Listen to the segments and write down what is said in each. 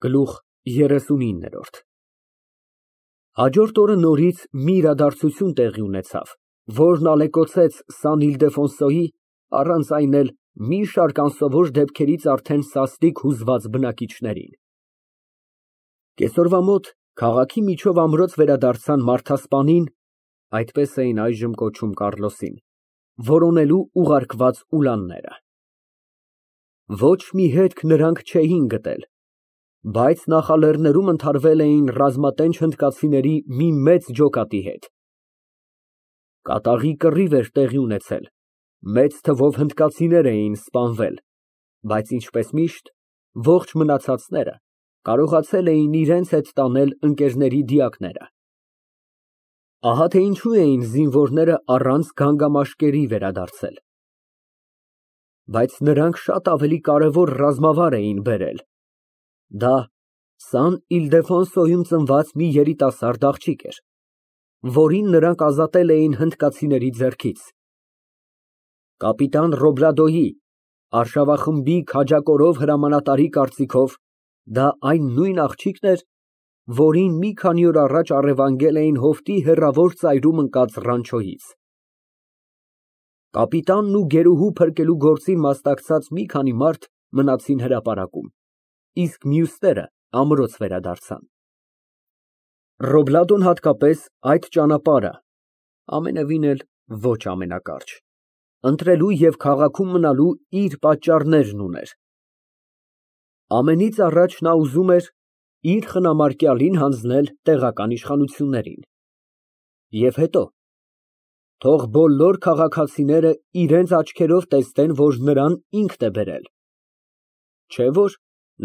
Գլուխ 39 Հաջորդ օրը նորից մի իրադարձություն տեղի ունեցավ, որն ալեկոծեց Սան Իլդեֆոնսոյի, առանց այն էլ մի շարք անսովոր դեպքերից արդեն սաստիկ հուզված բնակիչներին։ Կեսօրվա մոտ քաղաքի միջով ամրոց վերադարձան մարդասպանին (այդպես էին այժմ կոչում Կառլոսին) որոնելու ուղարկված ուլանները։ Ոչ մի հետք նրանք չէին գտել, բայց նախալեռներում ընդհարվել էին ռազմատենչ հնդկացիների մի մեծ ջոկատի հետ։ Կատաղի կռիվ էր տեղի ունեցել, մեծ թվով հնդկացիներ էին սպանվել, բայց ինչպես միշտ, ողջ մնացածները կարողացել էին իրենց հետ տանել ընկերների դիակները։ Ահա թե ինչու էին զինվորները առանց գանգամաշկերի վերադարձել։ Բայց նրանք շատ ավելի կարևոր ռազմավար էին բերել։ Դա Սան Իլդեֆոնսոյում ծնված մի երիտասարդ աղջիկ էր, որին նրանք ազատել էին հնդկացիների ձեռքից։ Կապիտան Ռոբլադոյի, արշավախմբի քաջակորով հրամանատարի կարծիքով, դա այն նույն աղջիկն էր, որին մի քանի օր առաջ առևանգել էին հովտի հեռավոր ծայրում ընկած ռանչոյից։ Կապիտանն ու գերուհու փրկելու գործին մասնակցած մի քանի մարդ մնացին հրապարակում, իսկ մյուսները ամրոց վերադարձան։ Ռոբլադոն հատկապես այդ ճանապարհը (ամենևին էլ ոչ ամենակարճ) ընտրելու և քաղաքում մնալու իր պատճառներն ուներ։ Ամենից առաջ նա ուզում էր իր խնամարկյալին հանձնել տեղական իշխանություններին, և հետո թող բոլոր քաղաքացիները իրենց աչքերով տեսնեն, որ նրան ինքն է բերել, չէ՞ որ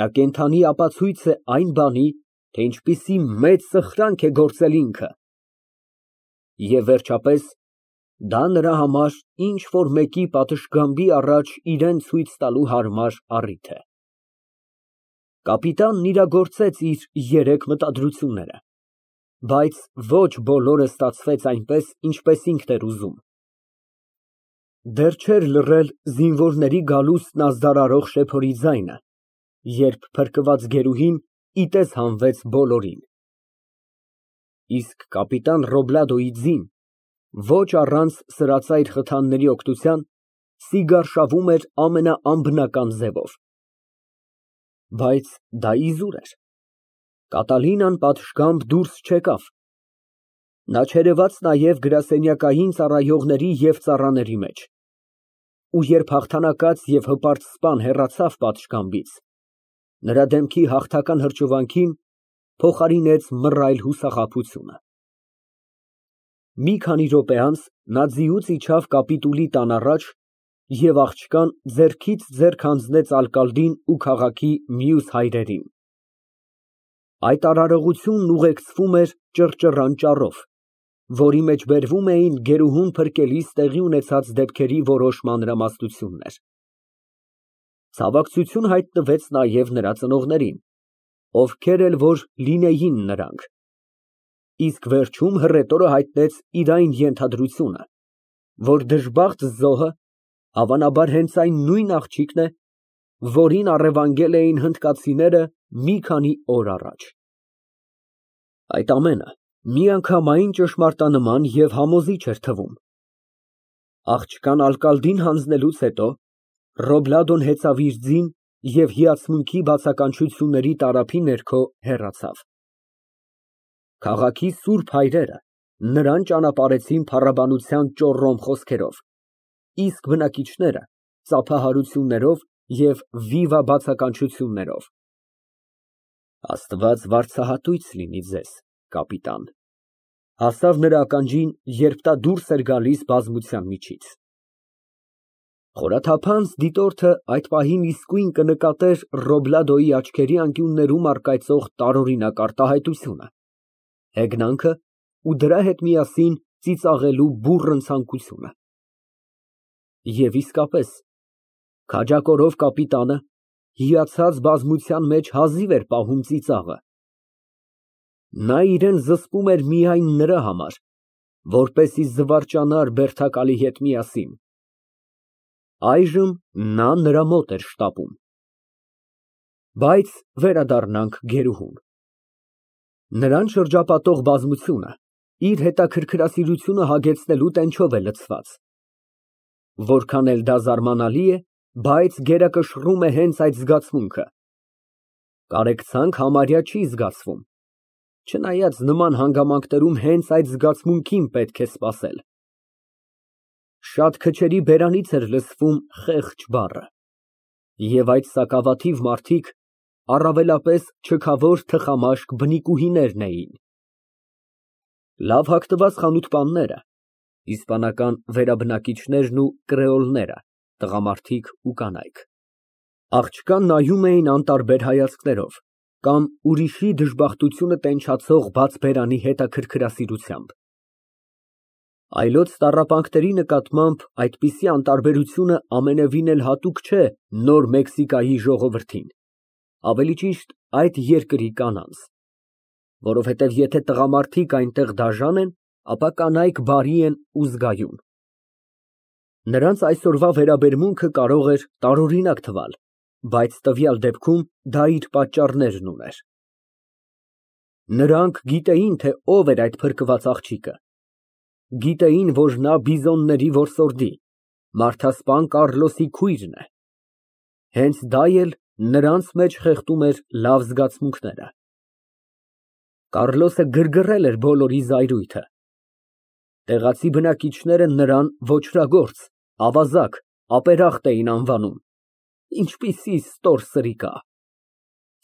նա կենդանի ապացույց է այն բանի, թե ինչպիսի մեծ սխրանք է գործել ինքը։ Եվ վերջապես, դա նրա համար ինչ֊որ մեկի պատշգամբի առաջ իրան ցույց տալու հարմար առիթ է։ Կապիտանն իրագործեց իր երեք մտադրությունները, բայց ոչ բոլորը ստացվեց այնպես, ինչպես ինքն էր ուզում։ Դեռ չէր լռել զինվորների գալուստն ազդարարող շեփորի ձայնը, երբ փրկված գերուհին ի տես հանվեց բոլորին։ Իսկ կապիտան Ռոբլադոյի ձին, ոչ առանց սրածայր խթանների օգնության, սիգարշավում էր ամենաանբնական ձևով։ Բայց դա իզուր էր։ Կատալինան պատշգամբ դուրս չեկավ։ Նա չերևաց նաև գրասենյակային ծառայողների և ծառաների մեջ, ու երբ հաղթանակած և հպարտ սպան հեռացավ պատշգամբից, նրա դեմքի հաղթական հրճվանքին փոխարինեց մռայլ հուսախաբությունը։ Մի քանի րոպե անց նա ձիուց իջավ կապիտուլի տան առաջ և աղջկան ձեռքից ձեռք հանձնեց ալկալդին ու քաղաքի մյուս հայրերին։ Այդ արարողությունն ուղեկցվում էր ճռճռան ճառով, որի մեջ բերվում էին գերուհուն փրկելիս տեղի ունեցած դեպքերի որոշ մանրամասնություններ։ Ցավակցություն հայտնվեց նաև նրա ծնողներին, ովքեր էլ որ լինեին նրանք, իսկ վերջում հռետորը հայտնեց իր այն ենթադրությունը, որ դժբախտ զոհը հավանաբար հենց այն նույն աղջիկն է, որին առևանգել էին հնդկացիները մի քանի օր առաջ։ Այդ ամենը միանգամայն ճշմարտանման և համոզիչ էր թվում։ Աղջկան ալկալդին հանձնելուց հետո Ռոբլադոն հեծավ իր ձին և հիացմունքի բացականչությունների տարափի ներքո հեռացավ։ Քաղաքի սուրբ հայրերը նրան ճանապարհեցին փառաբանության ճոռոմ խոսքերով, իսկ բնակիչները ծափահարություններով և վիվա բացականչություններով։ Աստված վարձահատույց լինի ձեզ, կապիտան, հասավ նրա ականջին, երբ նա դուրս էր գալիս բազմության միջից։ Խորաթափանց դիտորդը այդ պահին իսկույն կնկատեր Ռոբլադոյի աչքերի անկյուններում առկայծող տարօրինակ արտահայտությունը, հեգնանքը ու դրա հետ միասին ծիծաղելու բուռն ցանկությունը։ Եվ իսկապես, քաջակորով կապիտանը հիացած բազմության մեջ հազիվ էր պահում ծիծաղը։ Նա իրան զսպում էր միայն նրա համար, որպեսզի զվարճանար բերդակալի հետ միասին։ Այժմ նա նրա մոտ էր շտապում։ Բայց վերադառնանք գերուհուն։ Նրան շրջապատող բազմությունը իր հետաքրքրասիրությունը հագեցնելու տենչով է լցված։ Որքան էլ դա զարմանալի է, բայց գերակշռում է հենց այդ զգացմունքը։ Կարեկցանք համարյա չի զգացվում, չնայած նման հանգամանքներում հենց այդ զգացմունքին պետք է սպասել։ Շատ քչերի բերանից էր լսվում խեղճ բառը, և այդ սակավաթիվ մարդիկ առավելապես չքավոր թխամաշկ բնիկուհիներն էին։ Լավ հագնված խանութպանները, իսպանական վերաբնակիչներն ու կրեոլները, տղամարդիկ ու կանայք, աղջկան նայում էին անտարբեր հայացքներով կամ ուրիշի դժբախտությունը տենչացող բաց բերանի հետաքրքրասիրությամբ։ Այլոց տառապանքների նկատմամբ այդպիսի անտարբերությունը ամենևին էլ հատուկ չէ Նոր Մեքսիկայի ժողովրդին, ավելի ճիշտ այդ երկրի կանանց, որովհետև եթե տղամարդիկ այնտեղ դաժան են, ապա կանայք բարի են ու զգայուն։ Նրանց այսօրվա վերաբերմունքը կարող էր տարօրինակ թվալ, բայց տվյալ դեպքում դա իր պատճառներն ուներ։ Նրանք գիտեին, թե ով էր այդ փրկված աղջիկը, գիտեին, որ նա Բիզոնների որսորդի, մարդասպան Կառլոսի քույրն է։ Հենց դա էլ նրանց մեջ խեղդում էր լավ զգացմունքները։ Կառլոսը գրգռել էր բոլորի զայրույթը։ Տեղացի բնակիչները նրան ոճրագործ, ավազակ, ապերախտ էին անվանում։ Ինչպիսի ստոր սրիկա։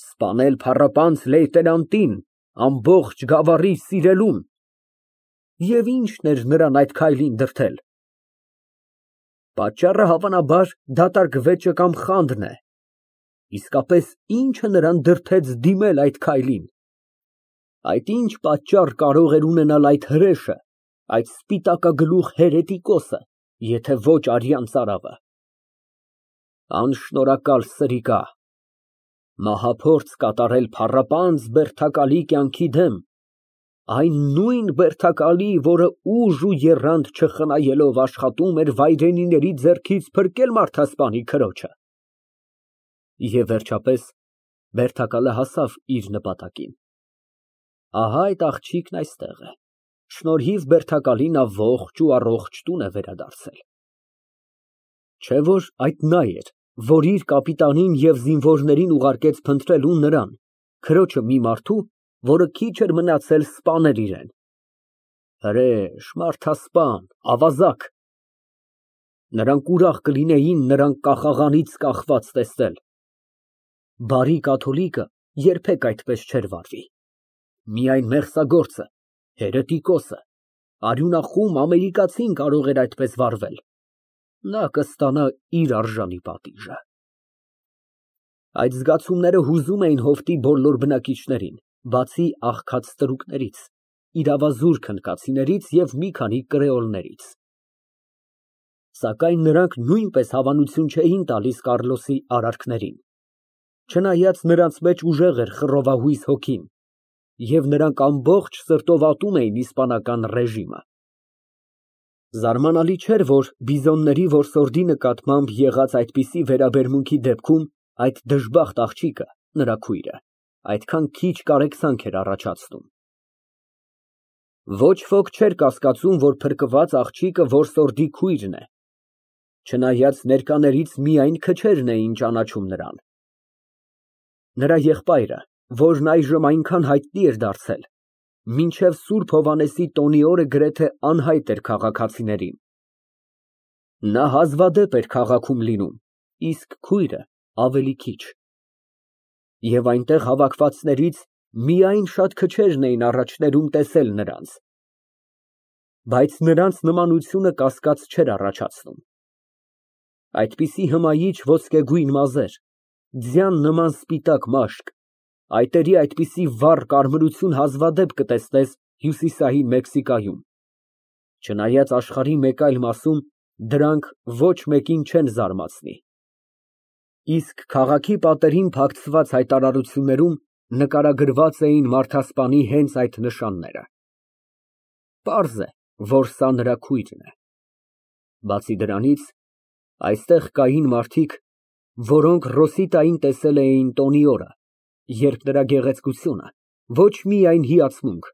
Սպանել փառապանծ լեյտենանտին, ամբողջ գավառի սիրելուն։ Եվ ի՞նչն էր նրան այդ քայլին դրդել։ Պատճառը հավանաբար դատարկ վեճը կամ խանդն է։ Իսկապես ի՞նչը նրան դրդեց դիմել այդ քայլին։ Այդ ինչ պատճառ կարող էր ունենալ այդ հրեշը, այդ սպիտակագլուխ հերետիկոսը, եթե ոչ արյան ծարավը։ Անշնորհակալ սրիկա, մահափորձ կատարել փառապանծ բերդակալի կյանքի դեմ, այն նույն բերդակալի, որը ուժ ու եռանդ չխնայելով աշխատում էր վայրենիների ձեռքից փրկել մարդասպանի քրոջը։ Եվ վերջապես բերդակալը հասավ իր նպատակին։ Ահա այդ աղջիկն այստեղ է, շնորհիվ բերդակալի նա ողջ ու առողջ տուն է վերադարձել։ Չէ՞ որ այդ նա էր, որ իր կապիտանին և զինվորներին ուղարկեց փնտրելու նրան, քրոջը մի մարդու, որը քիչ էր մնացել սպաներ իրեն։ Հրեշ, մարդասպան, ավազակ։ Նրանք ուրախ կլինեին նրան կախաղանից կախված տեսնել։ Բարի կաթոլիկը երբեք այդպես չէր վարվի։ Միայն մեղսագործը, հերետիկոսը, արյունախում ամերիկացին կարող էր այդպես վարվել։ Նա կստանա իր արժանի պատիժը։ Այդ զգացումները հուզում էին հովտի բոլոր բնակիչներին, բացի աղքած ստրուկներից, իրավազուր քնքացիներից և մի քանի կրեոլներից։ Սակայն նրանք նույնպես հավանություն չէին տալիս Կառլոսի արարքներին, չնայած նրանց մեջ ուժեղ էր խռովահույս հոգին, և նրանք ամբողջ սրտով ատում էին իսպանական ռեժիմը։ Զարմանալի չէր, որ Բիզոնների որսորդի նկատմամբ եղած այդպիսի վերաբերմունքի դեպքում այդ դժբախտ աղջիկը, նրա քույրը, այդքան քիչ կարեկցանք էր առաջացնում։ Ոչ ոք չէր կասկածում, որ փրկված աղջիկը որսորդի քույրն է, չնայած ներկաներից միայն քչերն էին ճանաչում նրան։ Նրա եղբայրը, որն այժմ այնքան հայտնի էր դարձել, մինչև Սուրբ Հովհաննեսի տոնի օրը գրեթե անհայտ էր քաղաքացիներին։ Նա հազվադեպ էր քաղաքում լինում, իսկ քույրը ավելի քիչ։ Եվ այնտեղ հավաքվածներից միայն շատ քչերն էին առաջներում տեսել նրանց։ Բայց նրանց նմանությունը կասկած չէր առաջացնում։ Այդպիսի հմայիչ ոսկեգույն մազեր, ձյան նման սպիտակ մաշկ, այտերի այդպիսի վառ կարմրություն հազվադեպ կտեսնես Հյուսիսային Մեքսիկայում, չնայած աշխարհի մեկ այլ մասում դրանք ոչ մեկին չեն զարմացնի։ Իսկ քաղաքի պատերին փակցված հայտարարություններում նկարագրված էին մարդասպանի հենց այդ նշանները։ Պարզ է, որ սա նրա քույրն է։ Բացի դրանից, այստեղ կային մարդիկ, որոնք Ռոսիտային տեսել էին տոնի օրը, երբ նրա գեղեցկությունը ոչ միայն հիացմունք,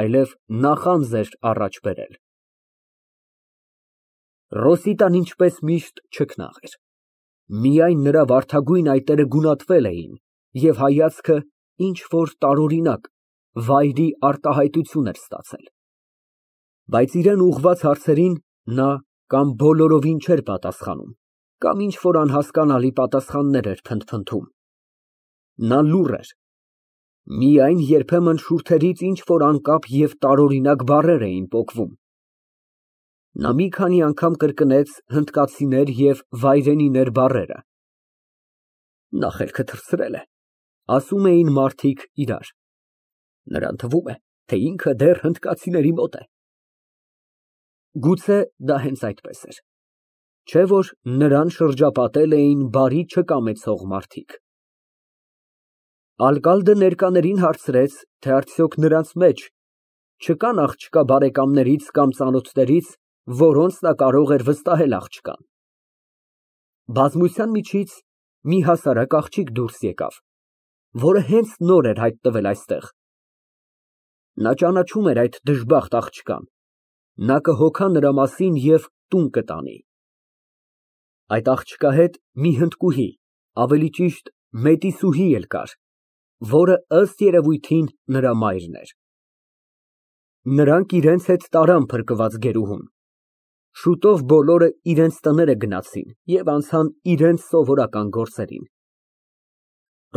այլև նախանձ էր առաջ բերել։ Ռոսիտան ինչպես միշտ չքնաղ էր, միայն նրա վարդագույն այտերը գունատվել էին և հայացքը ինչ-որ տարօրինակ, վայրի արտահայտություն էր ստացել, բայց իրան ուղղված հարցերին նա կամ բոլորովին չէր պատասխանում, կամ ինչ-որ անհասկանալի պատասխաններ էր փնթփնթում։ Նա լուռ էր, միայն երբեմն շուրթերից ինչ-որ անկապ և տարօրինակ բառեր էին պոկվում։ Նա մի քանի անգամ կրկնեց հնդկացիներ և վայրենիներ բառերը։ Նա խելքը թռցրել է, ասում էին մարդիկ իրար, նրան թվում է, թե ինքը դեռ հնդկացիների մոտ է։ Գուցե դա հենց այդպես էր, չէ՞ որ նրան շրջապատել էին բարի չկամեցող մարդիկ։ Ալկալդը ներկաներին հարցրեց, թե արդյոք նրանց մեջ չկան աղջկա բարեկամներից կամ ծանոթներից, որոնց նա կարող էր վստահել աղջկան։ Բազմության միջից մի հասարակ աղջիկ դուրս եկավ, որը հենց նոր էր հայտնվել այստեղ։ Նա ճանաչում էր այդ դժբախտ աղջկան, նա կհոգա նրա մասին և տուն կտանի։ Այդ աղջկա հետ մի հնդկուհի, ավելի ճիշտ մետիսուհի էլ կար, որը ըստ երևույթին նրա մայրն էր։ Նրանք իրենց հետ տարան փրկված գերուհուն։ Շուտով բոլորը իրենց տները գնացին և անցան իրենց սովորական գործերին։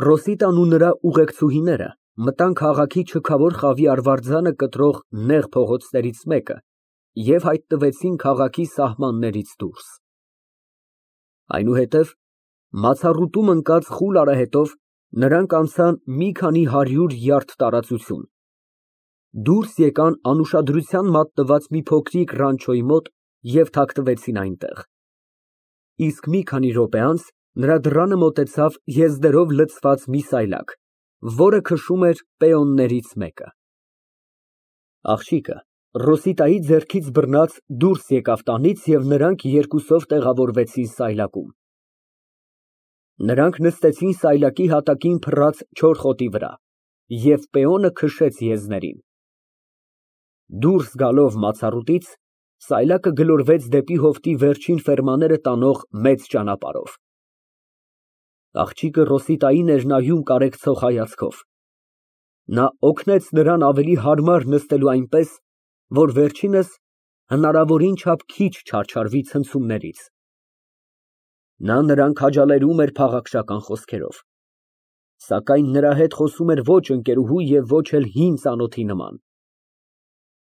Ռոսիտան ու նրա ուղեկցուհիները մտան քաղաքի չքավոր խավի արվարձանը կտրող նեղ փողոցներից մեկը և հայտնվեցին քաղաքի սահմաններից դուրս։ Այնուհետև մացառուտում ընկած խուլ արահետով նրանք անցան մի քանի 100 յարդ տարածություն, դուրս եկան անուշադրության մատնված մի փոքրիկ ռանչոյի մոտ և թաքնվեցին այնտեղ։ Իսկ մի քանի րոպե անց նրա դռանը մոտեցավ եզրերով լցված մի սայլակ, որը քշում էր պեոններից մեկը։ Աղջիկը Ռոսիտայի ձեռքից բռնած դուրս եկավ տանից և նրանք երկուսով տեղավորվեցին սայլակում։ Նրանք նստեցին սայլակի հատակին փռած չոր խոտի վրա, և պեոնը քշեց եզներին։ Դուրս գալով մացառուտից, սայլակը գլորվեց դեպի հովտի վերջին ֆերմաները տանող մեծ ճանապարհով։ Աղջիկը Ռոսիտային էր նայում կարեկցող հայացքով։ Նա օգնեց նրան ավելի հարմար նստելու այնպես, որ վերջինս հնարավորին չափ քիչ չարչարվի ցնցումներից։ Նա նրան քաջալերում էր փաղաքշական խոսքերով, սակայն նրա հետ խոսում էր ոչ ընկերուհու և ոչ էլ հին ծանոթի նման։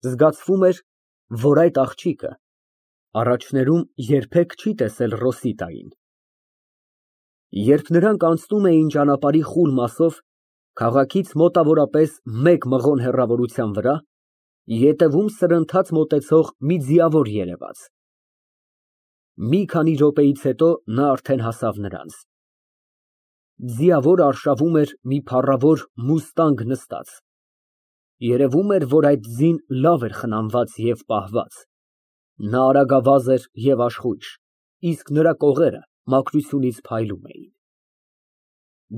Զգացվում էր, որ այդ աղջիկը առաջներում երբեք չի տեսել Ռոսիտային։ Երբ նրանք անցնում էին ճանապարհի խուլ մասով, քաղաքից մոտավորապես 1 մղոն հեռավորության վրա, ետևում սրընթաց մոտեցող մի ձիավոր երևաց։ Մի քանի րոպեից հետո նա արդեն հասավ նրանց։ Ձիավորը արշավում էր մի փառավոր մուստանգ նստած։ Երևում էր, որ այդ ձին լավ էր խնամված և պահված։ Նա արագավազ էր և աշխույժ, իսկ նրա կողերը մաքրությունից փայլում էին։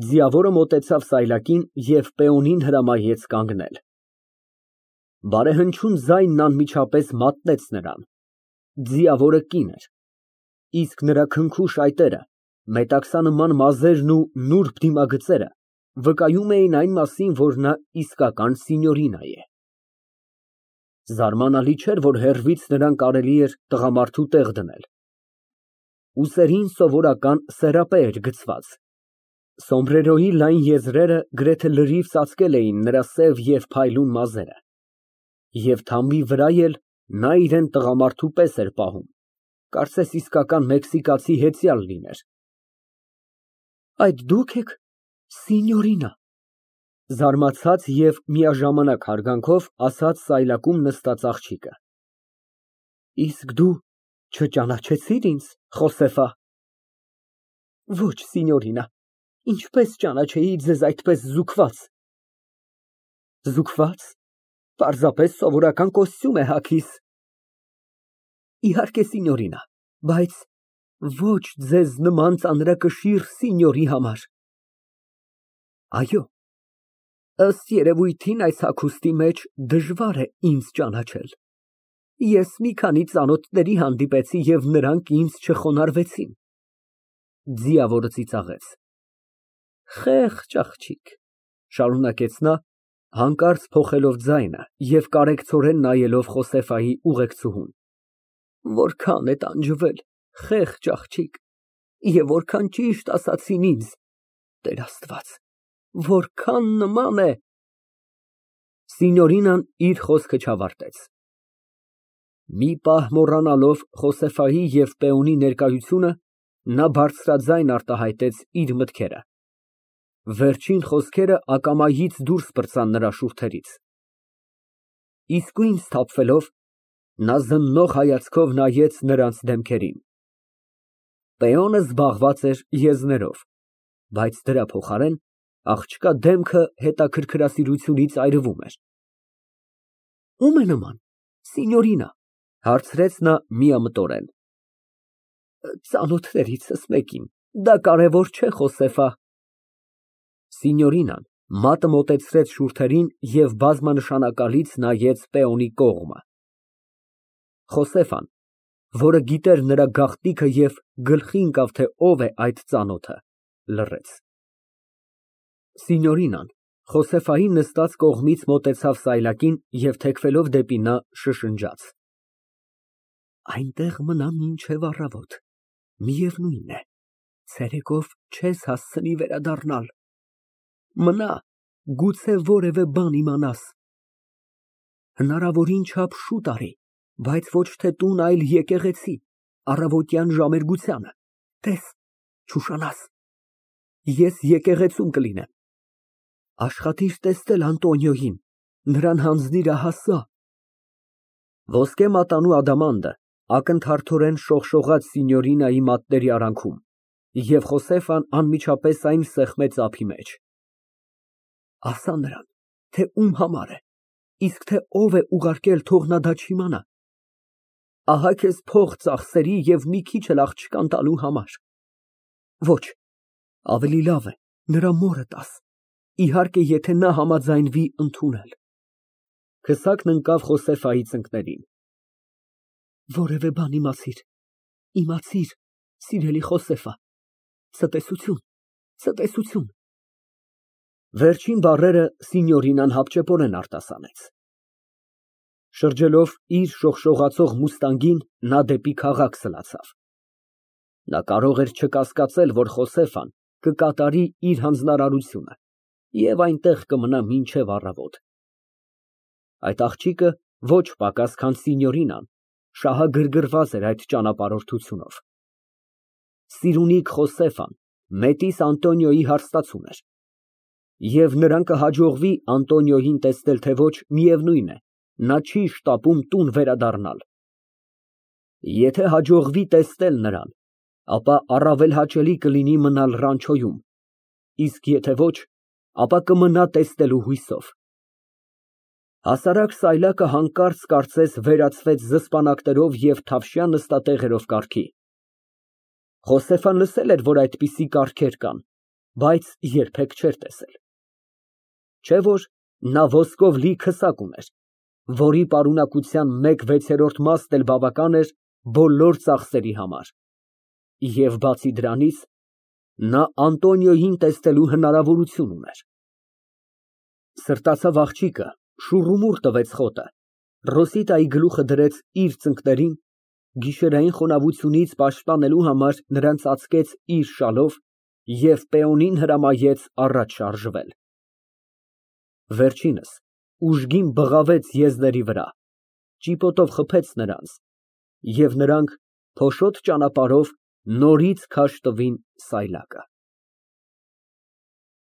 Ձիավորը մոտեցավ սայլակին և պեոնին հրամայեց կանգնել։ Բարեհնչյուն ձայնն անմիջապես մատնեց նրան։ Ձիավորը կին էր, իսկ նրա քնքուշ այտերը, մետաքսանման մազերն ու նուրբ դիմագծերը վկայում էին այն մասին, որ նա իսկական սինյորինա է։ Զարմանալի չէր, որ հեռվից նրան կարելի էր տղամարդու տեղ դնել։ Ուսերին սովորական սերապե էր գցված։ Սոմբրերոյի լայն եզրերը գրեթե լրիվ ծածկել էին նրա սև և փայլուն մազերը, և թամբի վրա էլ նա իրան տղամարդու պես էր պահում, կարծես իսկական մեքսիկացի հեծյալ լիներ։ Այդ դու՞ք եք, սինյորինա, զարմացած և միաժամանակ հարգանքով ասաց սայլակում նստած աղջիկը։ Իսկ դու չճանաչեցի՞ր ինձ, Խոսեֆա։ Ոչ, սինյորինա, ինչպես ճանաչեի ձեզ այդպես զուգված։ Զուգվա՞ծ, պարզապես սովորական կոստյում է հագիս։ Իհարկե, սինյորինա, բայց Ոչ ձեզ նման ծանրակշիռ սինյորի համար։ Այո, ըստ երևույթին այս հագուստի մեջ դժվար է ինձ ճանաչել։ Ես մի քանի ծանոթների հանդիպեցի և նրանք ինձ չխոնարհվեցին։ Ձիավորը ծիծաղեց։ Խեղճ աղջիկ, շարունակեց նա, հանկարծ փոխելով ձայնը և կարեկցորեն նայելով Խոսեֆայի ուղեկցուհուն, որքան է տանջվել, խեղճ աղջիկ, և որքան ճիշտ ասացին ինձ, Տեր Աստված, որքան նման է… Սինյորինան իր խոսքը չավարտեց։ Մի պահ մոռանալով Խոսեֆայի և պեոնի ներկայությունը, նա բարձրաձայն արտահայտեց իր մտքերը։ Վերջին խոսքերը ակամայից դուրս պրծան նրա շուրթերից։ Իսկույն սթափվելով, նա զննող հայացքով նայեց նրանց դեմքերին։ Պեոնը զբաղված էր եզներով, բայց դրա փոխարեն աղջկա դեմքը հետաքրքրասիրությունից այրվում էր։ Ո՞ւմ է նման, սինյորինա, հարցրեց նա միամտորեն։ Ծանոթներիցս մեկին, դա կարևոր չէ, Խոսեֆա։ Սինյորինան մատը մոտեցրեց շուրթերին և բազմանշանակալից նայեց պեոնի կողմը։ Խոսեֆան, որը գիտեր նրա գաղտնիքը և գլխի ընկավ, թե ով է այդ ծանոթը, լռեց։ Սինյորինան Խոսեֆային նստած կողմից մոտեցավ սայլակին և թեքվելով դեպի նա շշնջաց. Այնտեղ մնա մինչև առավոտ, միևնույն է, ցերեկով չես հասցնի վերադառնալ, մնա, գուցե որևէ բան իմանաս, հնարավորին չափ շուտ արի, բայց ոչ թե տուն, այլ եկեղեցի, առավոտյան ժամերգությանը, տես, չուշանաս, ես եկեղեցում կլինեմ, աշխատիր տեսնել Անտոնիոյին, նրան հանձնիր ահա սա… Ոսկե մատանու ադամանդը ակնթարթորեն շողշողաց Սինյորինայի մատների արանքում, և Խոսեֆան անմիջապես այն սեղմեց ափի մեջ։ Ասա նրան, թե ում համար է, իսկ թե ով է ուղարկել, թող նա դա չիմանա։ Ահա քեզ փող ծախսերի և մի քիչ էլ աղջկան տալու համար։ Ոչ, ավելի լավ է նրա մորը տաս, իհարկե, եթե նա համաձայնվի ընդունել։ Քսակն ընկավ Խոսեֆայի ծնկներին։ Որևէ բան իմացիր, սիրելի Խոսեֆա, ցտեսություն, ցտեսություն… Վերջին բառերը Սինյորինան հապճեպորեն արտասանեց։ Շրջելով իր շողշողացող մուստանգին, նա դեպի քաղաք սլացավ։ Նա կարող էր չկասկածել, որ Խոսեֆան կկատարի իր հանձնարարությունը և այնտեղ կմնա մինչև առավոտ։ Այդ աղջիկը ոչ պակաս, քան Սինյորինան, շահագրգռված էր այդ ճանապարհորդությունով։ Սիրունիկ Խոսեֆան մետիս Անտոնիոյի հարստացուն էր, և նրան կհաջողվի Անտոնիոյին տեսնել, թե ոչ, միևնույն է, նա չի շտապում տուն վերադառնալ։ Եթե հաջողվի տեսնել նրան, ապա առավել հաճելի կլինի մնալ Ռանչոյում, իսկ եթե ոչ, ապա կմնա տեսնելու հույսով։ Հասարակ սայլակը հանկարծ կարծես վերածվեց զսպանակներով և թավշյա նստատեղերով կառքի։ Խոսեֆան լսել էր, որ այդպիսի կառքեր կան, բայց երբեք չէր տեսել։ Չէ՞ որ նա ոսկով լի քսակ ուներ, որի պարունակության 1/6 մասն էլ բավական էր բոլոր ծախսերի համար, և բացի դրանից, նա Անտոնիոյին տեսնելու հնարավորություն ուներ։ Սրտացավ աղջիկը, շուռումուռ տվեց խոտը, Ռոսիտայի գլուխը դրեց իր ծնկներին, գիշերային խոնավությունից պաշտպանելու համար նրան ծածկեց իր շալով և պեոնին հրամայեց առաջ շարժվել։ Վերջինս ուժգին բղավեց եզների վրա, ճիպոտով խփեց նրանց, և նրանք փոշոտ ճանապարհով նորից քաշ տվին սայլակը։